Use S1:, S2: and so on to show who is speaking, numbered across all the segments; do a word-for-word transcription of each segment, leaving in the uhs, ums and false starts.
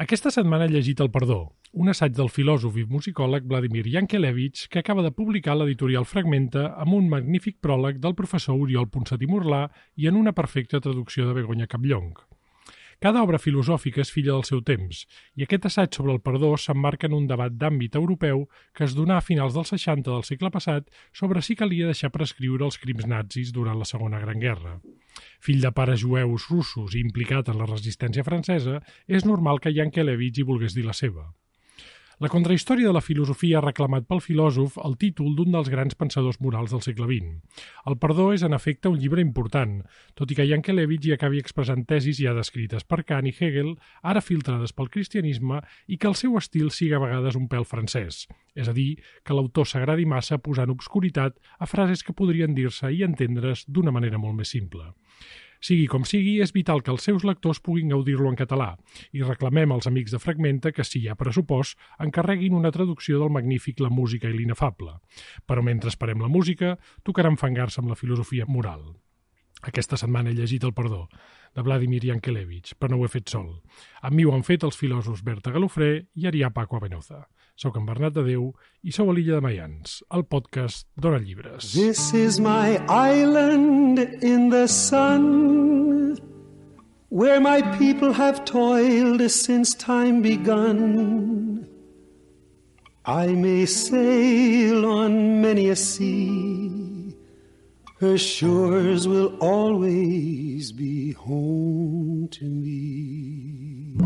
S1: Aquesta setmana he llegit El perdó, un assaig del filòsof i musicòleg Vladimir Yankelevich que acaba de publicar l'editorial Fragmenta amb un magnífic pròleg del professor Oriol Ponsatí Morlà i en una perfecta traducció de Begoña Capllong. Cada obra filosòfica és filla del seu temps, i aquest assaig sobre el perdó s'emmarca en un debat d'àmbit europeu que es donà a finals dels seixanta del segle passat sobre si calia deixar prescriure els crims nazis durant la Segona Gran Guerra. Fill de pares jueus russos i implicat en la resistència francesa, és normal que Yankelevich hi volgués dir la seva. La contrahistòria de la filosofia ha reclamat pel filòsof el títol d'un dels grans pensadors morals del segle vint. El perdó és, en efecte, un llibre important, tot i que Yankelevich hi acabi expressant tesis ja descrites per Kant i Hegel, ara filtrades pel cristianisme, i que el seu estil sigui a vegades un pèl francès. És a dir, que l'autor s'agradi massa posant obscuritat a frases que podrien dir-se i entendre's d'una manera molt més simple. Sigui com sigui, és vital que els seus lectors puguin gaudir-lo en català i reclamem als amics de Fragmenta que, si hi ha pressupost, encarreguin una traducció del magnífic La música i l'inefable. Però mentre esperem la música, tocarà enfangar-se amb la filosofia moral. Aquesta setmana he llegit El perdó, de Vladimir Yankelevich, però no ho he fet sol. Amb mi ho han fet els filòsofs Berta Galofré i Arià Paco Avenoza. Soc en Bernat de Déu i sou a l'Illa de Mayans, el podcast d'Ona Llibres.
S2: This is my island in the sun, where my people have toiled since time begun. I may sail on many a sea, her shores will always be home to me.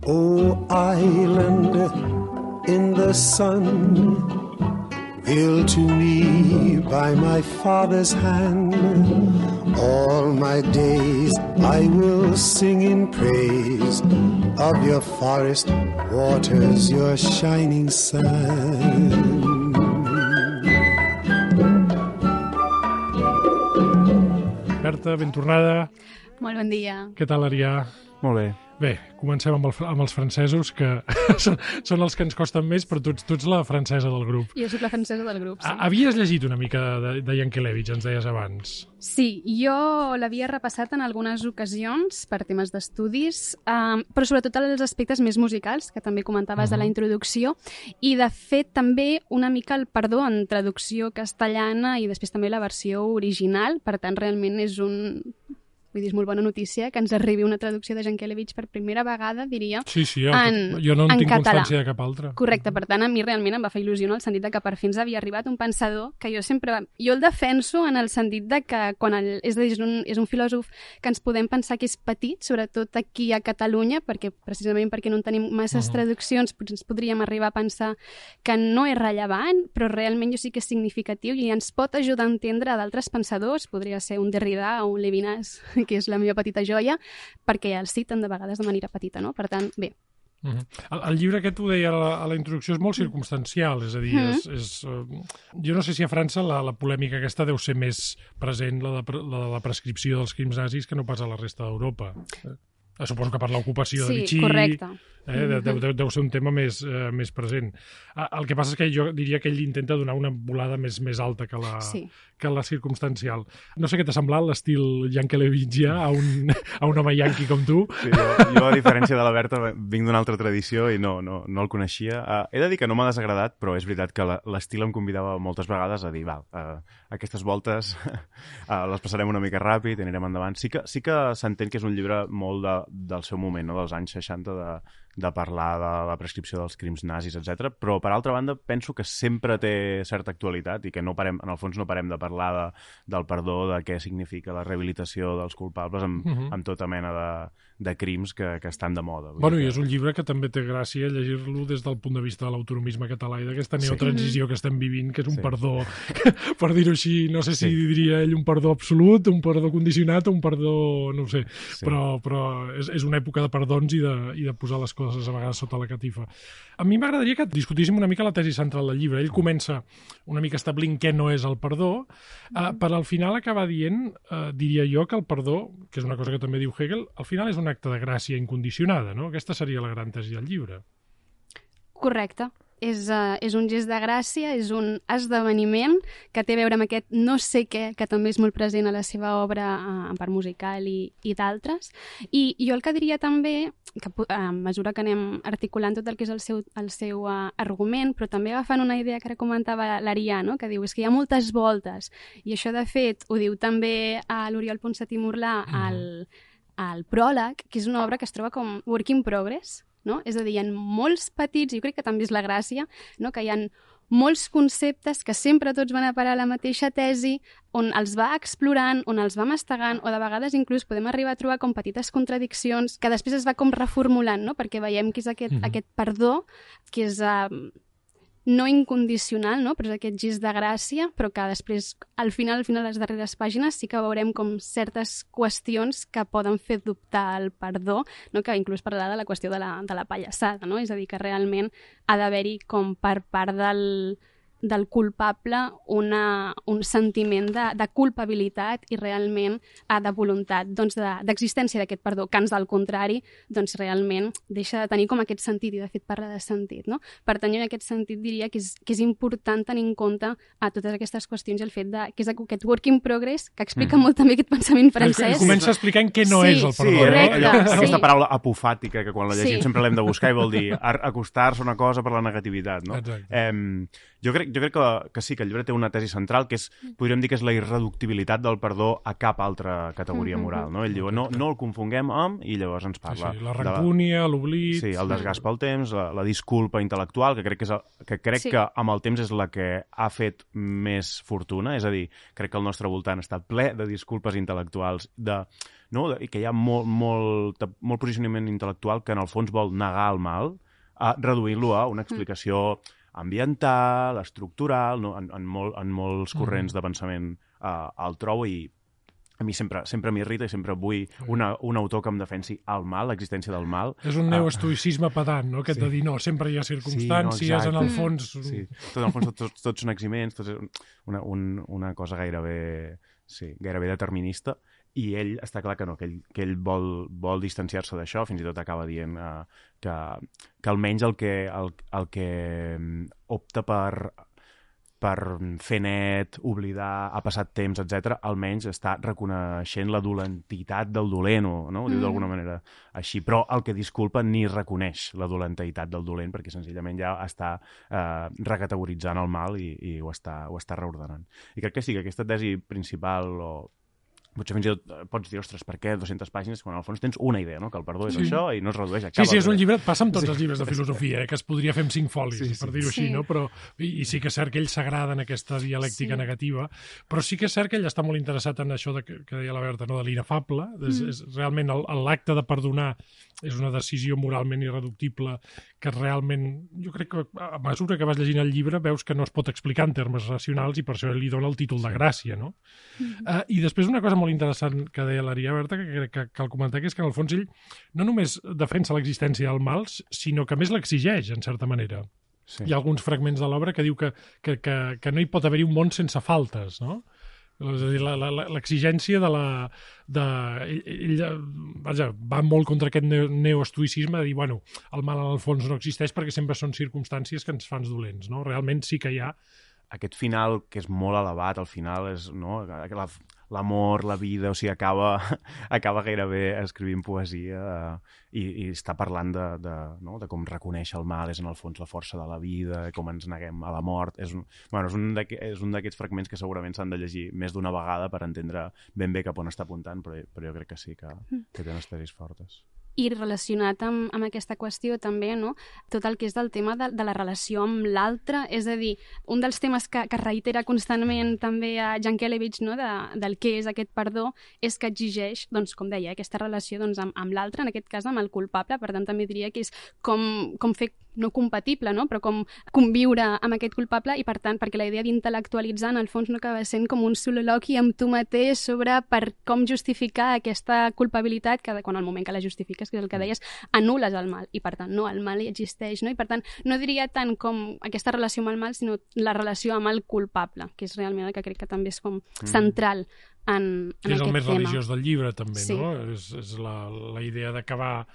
S2: Oh, island in the sun, built to me by my father's hand, all my days I will sing in praise of your forest waters, your shining sun.
S1: Berta, ben tornada.
S3: Molt bon dia.
S1: Què tal, Arià?
S4: Molt bé.
S1: Bé, comencem amb, el, amb els francesos, que són, són els que ens costen més, però tu, tu ets la francesa del grup.
S3: Jo sóc la francesa del grup, sí.
S1: Havies llegit una mica de, de Yankelevich, ens deies abans.
S3: Sí, jo l'havia repassat en algunes ocasions per temes d'estudis, um, però sobretot els aspectes més musicals, que també comentaves uh-huh. de la introducció, i de fet també una mica el perdó en traducció castellana i després també la versió original, per tant realment és un... Vull dir, és molt bona notícia que ens arribi una traducció de Yankelevich per primera vegada, diria,
S1: sí, sí, jo,
S3: en,
S1: jo no en,
S3: en
S1: tinc
S3: català.
S1: Constància de cap altra.
S3: Correcte, per tant, a mi realment em va fer il·lusió en el sentit de que per fi ens havia arribat un pensador que jo sempre... Jo el defenso en el sentit de que quan el, és, dir, és, un, és un filòsof que ens podem pensar que és petit, sobretot aquí a Catalunya, perquè precisament perquè no en tenim masses uh-huh. traduccions, ens podríem arribar a pensar que no és rellevant, però realment jo sí que és significatiu i ens pot ajudar a entendre d'altres pensadors, podria ser un Derrida o un Levinas, que és la meva petita joia, perquè els citen de vegades de manera petita, no? Per tant, bé.
S1: Uh-huh. el, el llibre aquest, ho deia a la, a la introducció, és molt circumstancial, és a dir, uh-huh. és, és, uh, jo no sé si a França la, la polèmica aquesta deu ser més present, la de, la de la prescripció dels crims nazis, que no pas a la resta d'Europa. Eh, suposo que per l'ocupació
S3: sí,
S1: de Vichy...
S3: correcte.
S1: Eh, deu, deu, deu ser un tema més, eh, més present. El que passa és que jo diria que ell intenta donar una volada més, més alta que la, sí. que la circumstancial. No sé què t'ha semblat l'estil Yankelevich a un, a un home yanqui com tu.
S4: Sí, jo, jo, a diferència de la Berta, vinc d'una altra tradició i no, no, no el coneixia. Uh, he de dir que no m'ha desagradat, però és veritat que l'estil em convidava moltes vegades a dir, val, uh, aquestes voltes uh, les passarem una mica ràpid, anirem endavant. Sí que, sí que s'entén que és un llibre molt de, del seu moment, no? Dels anys seixanta, de de parlar de la prescripció dels crims nazis, etcètera. Però, per altra banda, penso que sempre té certa actualitat i que no parem, en el fons no parem de parlar de, del perdó, de què significa la rehabilitació dels culpables amb, uh-huh. amb tota mena de, de crims que, que estan de moda.
S1: Bueno,
S4: que...
S1: i és un llibre que també té gràcia llegir-lo des del punt de vista de l'autonomisme català i d'aquesta neotransició sí. que estem vivint, que és un sí. perdó, per dir-ho així, no sé si sí. diria ell un perdó absolut, un perdó condicionat o un perdó, no ho sé, sí. però, però és, és una època de perdons i de, i de posar les coses a vegades sota la catifa. A mi m'agradaria que discutíssim una mica la tesi central del llibre. Ell comença una mica establint què no és el perdó, eh, per al final acabar dient, eh, diria jo, que el perdó, que és una cosa que també diu Hegel, al final és un acte de gràcia incondicionada, no? Aquesta seria la gran tesi del llibre.
S3: Correcte. és, uh, és un gest de gràcia, és un esdeveniment que té a veure amb aquest no sé què, que també és molt present a la seva obra uh, en part musical i, i d'altres. I, I jo el que diria també, que a mesura que anem articulant tot el que és el seu, el seu uh, argument, però també agafant una idea que ara comentava l'Arià, no? Que diu, és que hi ha moltes voltes, i això de fet ho diu també a l'Oriol Ponsatí Murlà al, al pròleg, que és una obra que es troba com work in progress, no? És a dir, hi ha molts petits, i jo crec que també és la gràcia, no? Que hi ha molts conceptes que sempre tots van a parar a la mateixa tesi, on els va explorant, on els va mastegant, o de vegades inclús podem arribar a trobar com petites contradiccions que després es va com reformulant, no? Perquè veiem que és aquest, mm-hmm. aquest perdó, que és uh, no incondicional, no? Però és aquest gest de gràcia, però que després, al final, al final, a les darreres pàgines, sí que veurem com certes qüestions que poden fer dubtar el perdó, no? Que inclús parlarà de la qüestió de la, de la pallassada, no? És a dir, que realment ha d'haver-hi com per part del, del culpable una, un sentiment de, de culpabilitat i realment ha de voluntat doncs, d'existència de, d'aquest perdó, que ans del contrari doncs, realment deixa de tenir com aquest sentit, i de fet parla de sentit, no? Per tant, jo en aquest sentit diria que és, que és important tenir en compte a totes aquestes qüestions i el fet de, que és aquest work in progress, que explica mm. molt també aquest pensament francès.
S1: Comença explicant què no
S3: sí,
S1: és el perdó.
S4: Sí,
S3: correcte,
S4: allò,
S3: sí.
S4: Aquesta paraula apofàtica, que quan la llegim
S3: Sí.
S4: sempre l'hem de buscar i vol dir acostar-se a una cosa per la negativitat, no?
S1: Exacte.
S4: Eh, jo crec, jo crec que, que sí, que el llibre té una tesi central, que és, podríem dir que és la irreductibilitat del perdó a cap altra categoria moral, no? Ell diu, no, no el confonguem amb, i llavors ens parla...
S1: Sí, sí, la rancúnia, l'oblit...
S4: Sí, el desgast pel temps, la, la disculpa intel·lectual, que crec, que, és el, que, crec
S3: Sí.
S4: que amb el temps és la que ha fet més fortuna, és a dir, crec que el nostre voltant està ple de disculpes intel·lectuals, de, no? de, i que hi ha molt, molt, molt posicionament intel·lectual que en el fons vol negar el mal, a reduir-lo a una explicació ambiental, estructural, no? en, en, molt, en molts corrents de pensament uh, el trobo, i a mi sempre, sempre m'irrita i sempre vull una, un autor que em defensi el mal, l'existència del mal.
S1: És un neoestoïcisme pedant, no? Aquest sí. de dir, no, sempre hi ha circumstàncies,
S4: sí, no,
S1: en el fons...
S4: Sí, tot en el fons tots, tots, tots són eximents, tots és una, un, una cosa gairebé, sí, gairebé determinista, i ell està clar que no, que ell, que ell vol, vol distanciar-se d'això, fins i tot acaba dient uh, que, que almenys el que, el, el que opta per, per fer net, oblidar, ha passat temps, etcètera, almenys està reconeixent la dolentitat del dolent, o, no? Ho diu d'alguna manera així, però el que disculpa ni reconeix la dolentitat del dolent, perquè senzillament ja està eh, recategoritzant el mal i, i ho, està, ho està reordenant. I crec que sí, que aquesta tesi principal, o potser fins i tot pots dir, ostres, per què dues-centes pàgines quan al fons tens una idea, no? Que el perdó és sí. això i no es redueix a cap...
S1: Sí, sí, és un llibre, passa amb tots sí. els llibres de filosofia, eh? Que es podria fer amb cinc folis, sí, sí. per dir-ho així,
S3: Sí.
S1: no? Però, i, i sí que és cert que ell s'agrada en aquesta dialèctica
S3: Sí.
S1: negativa, però sí que és cert que ell està molt interessat en això de, que, que deia la Berta, no? De l'inefable. És,
S3: Mm.
S1: és realment el- l'acte de perdonar és una decisió moralment irreductible que realment, jo crec que a mesura que vas llegint el llibre veus que no es pot explicar en termes racionals i per això li dona el títol de gràcia, no?
S3: Mm.
S1: Uh, I després una cosa molt interessant que deia l'Arià Berta, que crec que cal comentar, que és que en el fons ell no només defensa l'existència del mal, sinó que a més l'exigeix, en certa manera.
S4: Sí.
S1: Hi ha alguns fragments de l'obra que diu que, que, que, que no hi pot haver-hi un món sense faltes, no? És a dir, la- la- la- l'exigència de la... De, ell, ell vaja, va molt contra aquest neo- neoestoïcisme de dir, bueno, el mal en el fons no existeix perquè sempre són circumstàncies que ens fan dolents, no? Realment sí que hi ha...
S4: Aquest final, que és molt elevat, al final és, no? La, l'amor, la vida, o sigui, acaba, acaba gairebé escrivint poesia eh, i, i està parlant de, de, no? de com reconèixer el mal és en el fons la força de la vida, com ens neguem a la mort. És un, bueno, és un d'aquest- és un d'aquests fragments que segurament s'han de llegir més d'una vegada per entendre ben bé cap on està apuntant, però, però jo crec que sí, que, que té unes tesis fortes.
S3: I relacionat amb, amb aquesta qüestió també, no? Tot el que és del tema de, de la relació amb l'altre, és a dir, un dels temes que, que reitera constantment també a Jankelevich, no? de, del què és aquest perdó, és que exigeix, doncs, com deia, aquesta relació doncs, amb, amb l'altre, en aquest cas amb el culpable, per tant també diria que és com, com fer, no compatible, no? Però com conviure amb aquest culpable i per tant, perquè la idea d'intel·lectualitzar en el fons no acaba sent com un soliloqui amb tu mateix sobre per com justificar aquesta culpabilitat que quan al moment que la justifiques, que és el que deies, anules el mal i per tant no, el mal hi existeix, no? I per tant no diria tant com aquesta relació amb el mal, sinó la relació amb el culpable, que és realment el que crec que també és com central en, en
S1: que és
S3: aquest
S1: el més
S3: tema.
S1: religiós del llibre, també,
S3: Sí.
S1: no? És, és la, la idea d'acabar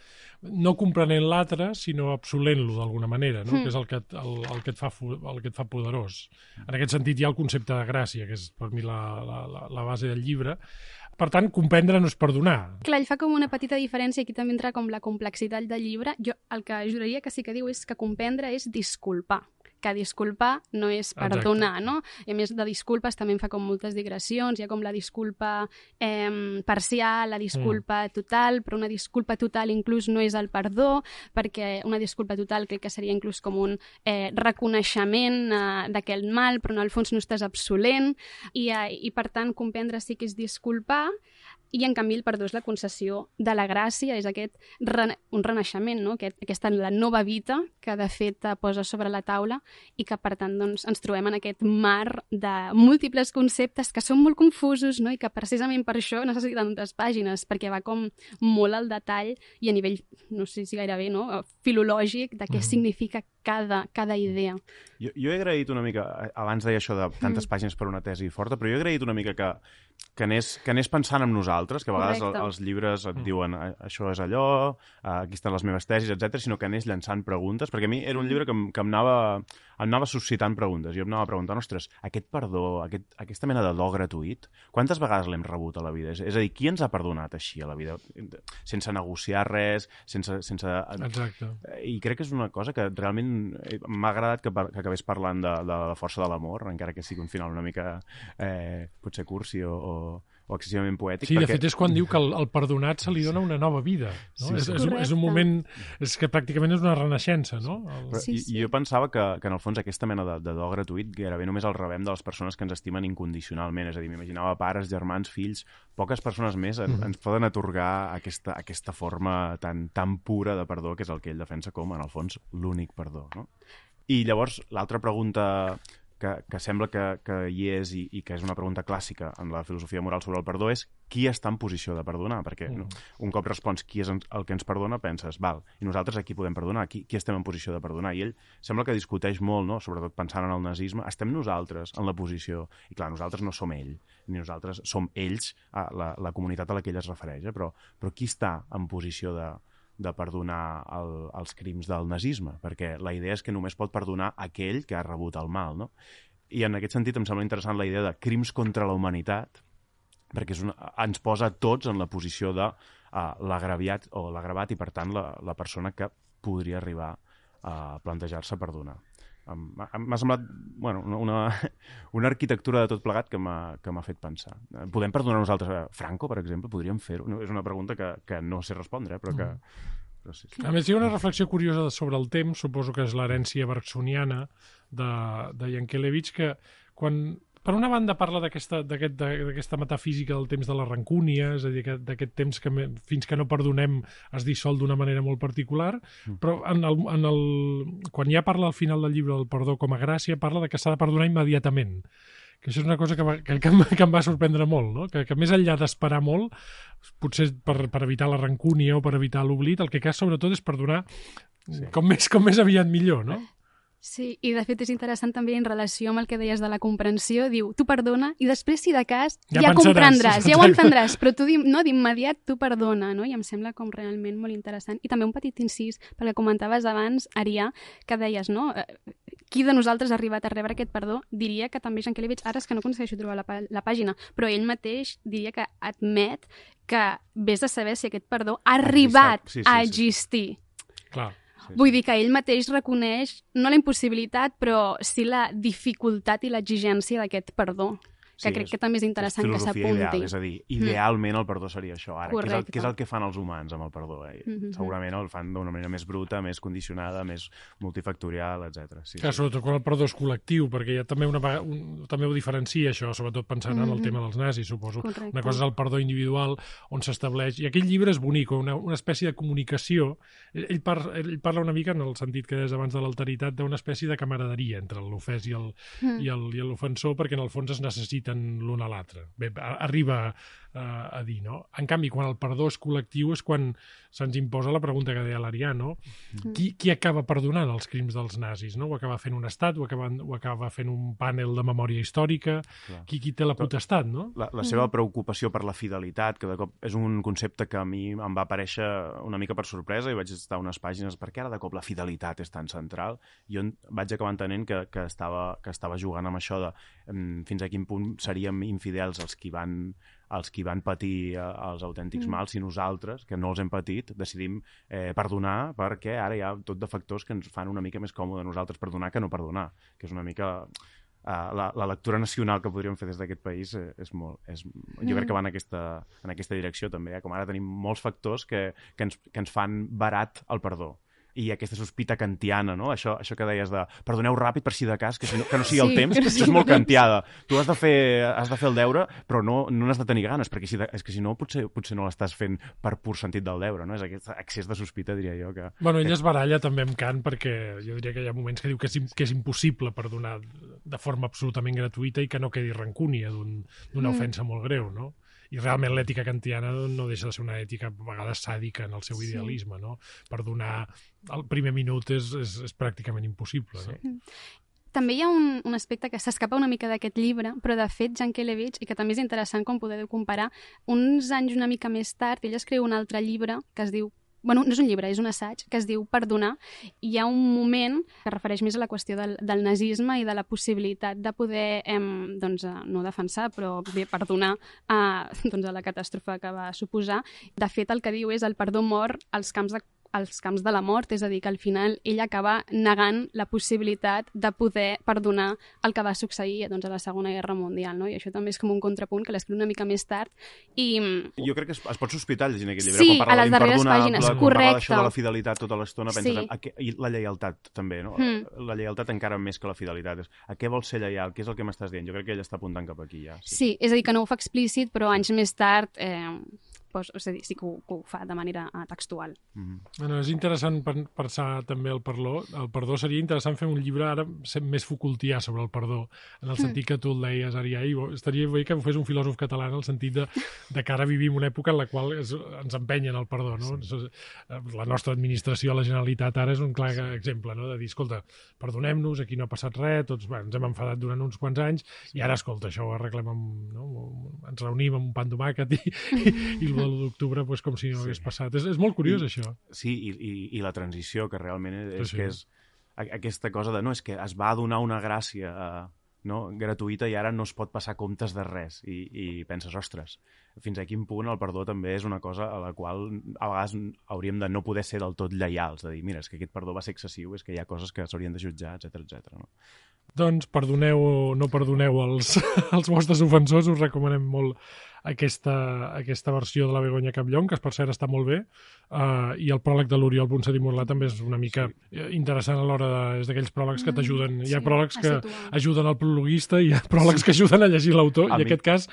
S1: no comprenent l'altre, sinó absolent-lo d'alguna manera, no?
S3: Mm.
S1: Que és el que, et, el, el, que et fa, fu- el que et fa poderós. En aquest sentit hi ha el concepte de gràcia, que és per mi la, la, la, la base del llibre. Per tant, comprendre no és perdonar.
S3: Clar, ell fa com una petita diferència, aquí també entra com la complexitat del llibre. Jo el que juraria que sí que diu és que comprendre és disculpar, que disculpar no és perdonar,
S1: Exacte.
S3: no? I a més de disculpes també en fa com moltes digressions, hi ha com la disculpa eh, parcial, la disculpa mm. total, però una disculpa total inclús no és el perdó, perquè una disculpa total crec que seria inclús com un eh, reconeixement eh, d'aquell mal, però en el fons no estàs absolent, i, eh, i per tant comprendre sí que és disculpar, i en canvi el perdó és la concessió de la gràcia, és aquest rena un renaixement, no? Aquest, aquesta la nova vida que de fet posa sobre la taula i que per tant doncs, ens trobem en aquest mar de múltiples conceptes que són molt confusos, no? I que precisament per això necessiten tantes pàgines, perquè va com molt al detall i a nivell, no sé si gairebé, no? filològic de què mm. significa cada, cada idea.
S4: Jo, jo he agraït una mica, abans deia això de tantes mm. pàgines per una tesi forta, però jo he agraït una mica que, que, anés, que anés pensant en nosaltres, que a vegades el, els llibres et diuen això és allò, aquí estan les meves tesis, etcètera, sinó que anés llançant preguntes, perquè a mi era un llibre que, em, que em, anava, em anava suscitant preguntes. Jo em anava preguntant, ostres, aquest perdó, aquest, aquesta mena de do gratuït, quantes vegades l'hem rebut a la vida? És, és a dir, qui ens ha perdonat així a la vida? Sense negociar res, sense... sense...
S1: Exacte. I
S4: crec que és una cosa que realment m'ha agradat que, par que acabés parlant de, de la força de l'amor, encara que sigui un final una mica eh, potser cursi o, o, o excessivament poètic.
S1: Sí,
S4: perquè...
S1: de fet és quan diu que el, el perdonat se li dona una nova vida. No?
S4: Sí,
S1: és,
S4: sí.
S1: és, un, és un moment... És que pràcticament és una renaixença, no? El...
S4: Però,
S3: sí,
S4: i,
S3: sí.
S4: I jo pensava que, que en el fons aquesta mena de, de do gratuït gairebé només el rebem de les persones que ens estimen incondicionalment. És a dir, m'imaginava pares, germans, fills, poques persones més en, ens poden atorgar aquesta, aquesta forma tan, tan pura de perdó, que és el que ell defensa com, en el fons, l'únic perdó. No? I llavors, l'altra pregunta que, que sembla que, que hi és i, i que és una pregunta clàssica en la filosofia moral sobre el perdó és qui està en posició de perdonar? Perquè mm. no, un cop respons qui és el que ens perdona, penses, val, i nosaltres a qui podem perdonar? Qui, qui estem en posició de perdonar? I ell sembla que discuteix molt, no? Sobretot pensant en el nazisme, estem nosaltres en la posició, i clar, nosaltres no som ell, ni nosaltres som ells, la, la comunitat a la que ell es refereix, eh? però, però qui està en posició de de perdonar el, els crims del nazisme, perquè la idea és que només pot perdonar aquell que ha rebut el mal, no? I en aquest sentit em sembla interessant la idea de crims contra la humanitat, perquè és una, ens posa tots en la posició de uh, l'agraviat o l'agravat i, per tant, la, la persona que podria arribar a plantejar-se perdonar. Um, m'ha semblat bueno, una, una arquitectura de tot plegat que m'ha fet pensar. Podem perdonar nosaltres a Franco, per exemple? Podríem fer-ho? No, és una pregunta que, que no sé respondre, eh? però que... Però sí, sí.
S1: A més, hi ha una reflexió curiosa sobre el temps, suposo que és l'herència bergsoniana de, de Yankelevich, que quan... Per una banda parla d'aquesta aquest, metafísica del temps de la rancúnia, és a dir, d'aquest temps que fins que no perdonem es dissol d'una manera molt particular, mm. però en el, en el, quan ja parla al final del llibre del perdó com a gràcia, parla de que s'ha de perdonar immediatament. Que això és una cosa que, va, que, que, em, que em va sorprendre molt, no? que, que més enllà d'esperar molt, potser per, per evitar la rancúnia o per evitar l'oblit, el que cal sobretot és perdonar sí. com, més, com més aviat millor, no?
S3: Sí, i de fet és interessant també en relació amb el que deies de la comprensió, diu, tu perdona i després, si de cas, ja,
S1: ja
S3: comprendràs, ja ho entendràs, però tu no, d'immediat tu perdona, no? I em sembla com realment molt interessant. I també un petit incís, perquè comentaves abans, Arià, que deies, no? Qui de nosaltres ha arribat a rebre aquest perdó? Diria que també Yankelevich, ara és que no aconsegueixo trobar la, la pàgina, però ell mateix diria que admet que vés a saber si aquest perdó ha arribat sí, sí, a existir.
S1: Sí. Clar.
S3: Sí, Vull sí. dir que ell mateix reconeix no la impossibilitat, però sí la dificultat i l'exigència d'aquest perdó. Que sí, crec és, que també és interessant és que s'apunti.
S4: Ideal, és a dir, idealment el perdó seria això. Ara, què és, el, què és el que fan els humans amb el perdó? Eh? Mm-hmm. Segurament el fan d'una manera més bruta, més condicionada, més multifactorial, etcètera. Sí,
S1: Clar,
S4: sí.
S1: Sobretot quan el perdó és col·lectiu, perquè ja també, una, un, també ho diferencia això, sobretot pensant mm-hmm. en el tema dels nazis, suposo. Correcte. Una cosa és el perdó individual, on s'estableix... I aquell llibre és bonic, una, una espècie de comunicació. Ell, par, ell parla una mica, en el sentit que des abans de l'alteritat, d'una espècie de camaraderia entre l'ofès i l'ofensor, mm. perquè en el fons es necessiten l'un a l'altre. Bé, arriba, uh, a dir, no? En canvi, quan el perdó és col·lectiu és quan se'ns imposa la pregunta que deia l'Arià, no? Mm. Qui, qui acaba perdonant els crims dels nazis, no? Ho acaba fent un estat, ho acaba, ho acaba fent un panel de memòria històrica, qui, qui té la potestat, no?
S4: La, la seva preocupació per la fidelitat, que de cop és un concepte que a mi em va aparèixer una mica per sorpresa i vaig estar unes pàgines perquè ara de cop la fidelitat és tan central. Jo vaig acabar entenent que, que, estava, que estava jugant amb això de um, fins a quin punt seríem infidels els qui van els qui van patir eh, els autèntics mm. mals, i nosaltres, que no els hem patit, decidim eh, perdonar, perquè ara hi ha tot de factors que ens fan una mica més còmode nosaltres perdonar que no perdonar, que és una mica... Uh, la, la lectura nacional que podríem fer des d'aquest país eh, és molt... És, jo mm. crec que va en aquesta, en aquesta direcció també, eh? Com ara tenim molts factors que, que, ens, que ens fan barat el perdó. I aquesta sospita kantiana, no? Això, això que deies de perdoneu ràpid per si de cas, que, si no, que no sigui sí, el temps, que això és molt kantiada. Tu has de fer, has de fer el deure, però no, no n'has de tenir ganes, perquè si de, és que si no potser, potser no l'estàs fent per pur sentit del deure, no? És aquest excés de sospita, diria jo. Que,
S1: bueno, ell
S4: que...
S1: es baralla també amb Kant, perquè jo diria que hi ha moments que diu que és, que és impossible perdonar de forma absolutament gratuïta i que no quedi rancúnia d'una un, ofensa mm. molt greu, no? I realment l'ètica kantiana no deixa de ser una ètica a vegades sàdica en el seu sí. idealisme, no? Perdonar el primer minut és, és, és pràcticament impossible, sí. no?
S3: També hi ha un, un aspecte que s'escapa una mica d'aquest llibre, però de fet Jankelevich, i que també és interessant com podeu comparar, uns anys una mica més tard, ell escriu un altre llibre que es diu bueno, no és un llibre, és un assaig, que es diu Perdonar, i hi ha un moment que es refereix més a la qüestió del, del nazisme i de la possibilitat de poder, eh, doncs, no defensar, però bé, perdonar a, doncs, a la catàstrofe que va suposar. De fet, el que diu és el perdó mor als camps de als camps de la mort, és a dir, que al final ell acaba negant la possibilitat de poder perdonar el que va succeir doncs, a la Segona Guerra Mundial, no? I això també és com un contrapunt que l'escriu una mica més tard. I...
S4: Jo crec que es, es pot sospitar llegint aquest llibre.
S3: Sí,
S4: quan parla
S3: a les darreres pàgines,
S4: quan
S3: correcte.
S4: Parla d'això de la fidelitat tota l'estona, penses
S3: sí.
S4: en, a, i la lleialtat també, no? Mm. La lleialtat encara més que la fidelitat. A què vols ser lleial? Què és el que m'estàs dient? Jo crec que ell està apuntant cap aquí ja.
S3: Sí, sí és a dir, que no ho fa explícit, però anys més tard... Eh... Pues, és a dir, sí que ho, que ho fa de manera uh, textual.
S1: Mm-hmm. Bueno, és interessant pensar també el perdó. El perdó seria interessant fer un llibre ara més Foucaultià sobre el perdó, en el sentit que tu el deies, Arià, i estaria bé que ho fes un filòsof català en el sentit de, de que ara vivim una època en la qual es, ens empenyen el perdó, no? Sí. La nostra administració, la Generalitat, ara és un clar exemple, no? De dir, escolta, perdonem-nos, aquí no ha passat res, tots bueno, ens hem enfadat durant uns quants anys, i ara, escolta, això ho arreglem amb... No? Ens reunim amb un pan tomàquet i, i, i l'u d'octubre pues, com si no hagués sí. passat. És, és molt curiós,
S4: I,
S1: això.
S4: Sí, i, i, i la transició, que realment és, és
S1: sí.
S4: que és aquesta cosa de, no, és que es va donar una gràcia uh, no, gratuïta i ara no es pot passar comptes de res. I, i penses, ostres, fins a quin punt el perdó també és una cosa a la qual a vegades hauríem de no poder ser del tot lleials, de dir, mira, és que aquest perdó va ser excessiu, és que hi ha coses que s'haurien de jutjar, etcètera etcètera. No?
S1: Doncs perdoneu o no perdoneu els, els vostres ofensors, us recomanem molt aquesta, aquesta versió de la Begoña Capllón, que per cert està molt bé, uh, i el pròleg de l'Oriol Ponsatí Morlà també és una mica sí. interessant a l'hora de... és d'aquells pròlegs que t'ajuden. Mm, hi ha sí, pròlegs que ajuden al prologuista i hi ha pròlegs que ajuden a llegir l'autor, i en aquest cas,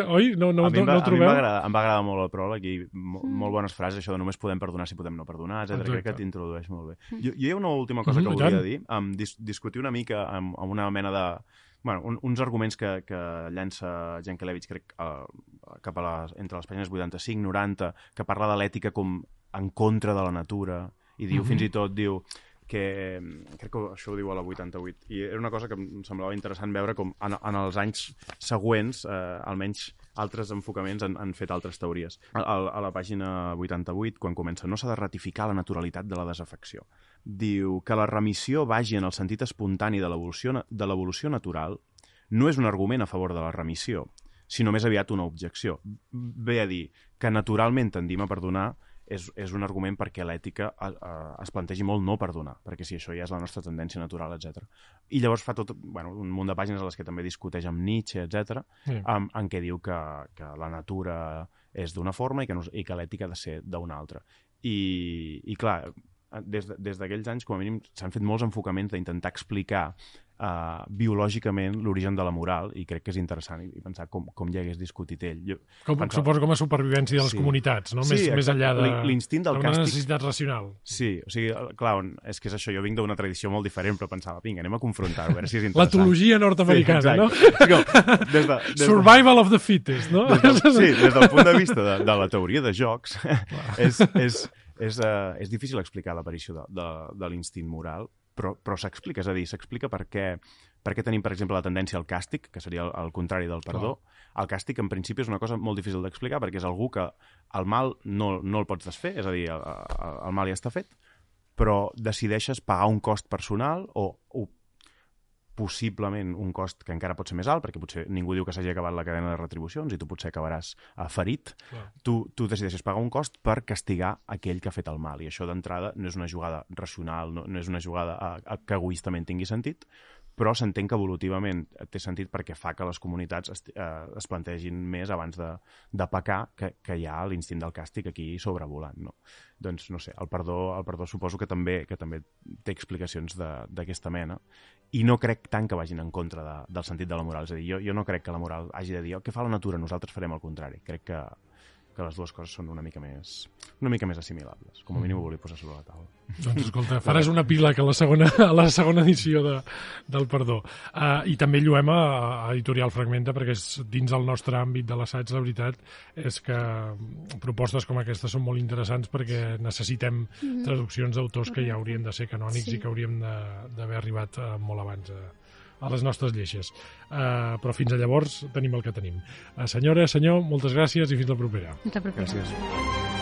S1: oi? No, no, no, no ho trobeu?
S4: A mi em va agradar molt el pròleg i mo mm. molt bones frases, això de només podem perdonar si podem no perdonar, etcètera. Crec que t'introdueix molt bé. Jo, jo hi ha una última cosa que volia dir, um, dis discutir una mica amb, amb una mena de... Bueno, un, uns arguments que, que llança Jankelevich, crec, uh, cap a les, entre les pàgines vuitanta-cinc noranta, que parla de l'ètica com en contra de la natura, i diu, mm-hmm. fins i tot, diu que, crec que això ho diu a la vuitanta-vuit, i era una cosa que em semblava interessant veure com en, en els anys següents, eh, almenys altres enfocaments han, han fet altres teories. A, a la pàgina vuitanta-vuit, quan comença, no s'ha de ratificar la naturalitat de la desafecció. Diu que la remissió vagi en el sentit espontani de l'evolució natural no és un argument a favor de la remissió, sinó més aviat una objecció. Ve a dir que naturalment tendim a perdonar és, és un argument perquè l'ètica es plantegi molt no perdonar, perquè si això ja és la nostra tendència natural, etcètera. I llavors fa tot bueno, un munt de pàgines a les que també discuteix amb Nietzsche, etcètera, sí. en, en què diu que, que la natura és d'una forma i que, no, i que l'ètica ha de ser d'una altra. I, i clar, des, de, des d'aquells anys, com a mínim, s'han fet molts enfocaments d'intentar explicar uh, biològicament l'origen de la moral, i crec que és interessant i pensar com, com hi hagués discutit ell. Jo
S1: com,
S4: pensava...
S1: Suposo com a supervivència de les
S4: sí.
S1: comunitats, no?
S4: Sí,
S1: més, més enllà de
S4: l'instint del
S1: una
S4: càstig...
S1: necessitat racional.
S4: Sí, o sigui, clar, és que és això, jo vinc d'una tradició molt diferent, però pensava, vinga, anem a confrontar-ho, a veure si és interessant.
S1: L'etologia nord-americana,
S4: sí,
S1: no?
S4: Com, des de, des
S1: Survival de... of the fittest, no?
S4: Des del, sí, des del punt de vista de, de la teoria de jocs, és, és, és, uh, és difícil explicar l'aparició de, de, de l'instint moral, però, però s'explica, és a dir, s'explica per què, per què tenim, per exemple, la tendència al càstig, que seria el, el contrari del perdó. Clar. El càstig, en principi, és una cosa molt difícil d'explicar, perquè és algú que el mal no, no el pots desfer, és a dir, el, el mal ja està fet, però decideixes pagar un cost personal o, o possiblement un cost que encara pot ser més alt, perquè potser ningú diu que s'hagi acabat la cadena de retribucions i tu potser acabaràs uh, ferit. Tu, tu decideixes pagar un cost per castigar aquell que ha fet el mal, i això d'entrada no és una jugada racional, no, no és una jugada uh, uh, que egoistament tingui sentit, però s'entén que evolutivament té sentit perquè fa que les comunitats es, eh, es plantegin més abans de, de pecar, que, que hi ha l'instint del càstig aquí sobrevolant, no? Doncs, no sé, el perdó, el perdó suposo que també, que també té explicacions d'aquesta mena, i no crec tant que vagin en contra de, del sentit de la moral. És a dir, jo, jo no crec que la moral hagi de dir, oh, què fa la natura? Nosaltres farem el contrari. Crec que, que les dues coses són una mica més, una mica més assimilables. Com a mínim ho volia posar sobre la taula.
S1: Doncs escolta, faràs una pila que a la segona, a la segona edició de, del Perdó. Uh, I també lluem a, a Editorial Fragmenta, perquè és dins el nostre àmbit de l'assaig, la veritat és que propostes com aquestes són molt interessants perquè necessitem mm-hmm. traduccions d'autors que ja haurien de ser canònics sí. i que hauríem d'haver arribat uh, molt abans a, a les nostres lleixes. Uh, però fins a llavors tenim el que tenim. Uh, senyora, senyor, moltes gràcies i fins la propera.
S3: Fins la propera.
S4: Gràcies.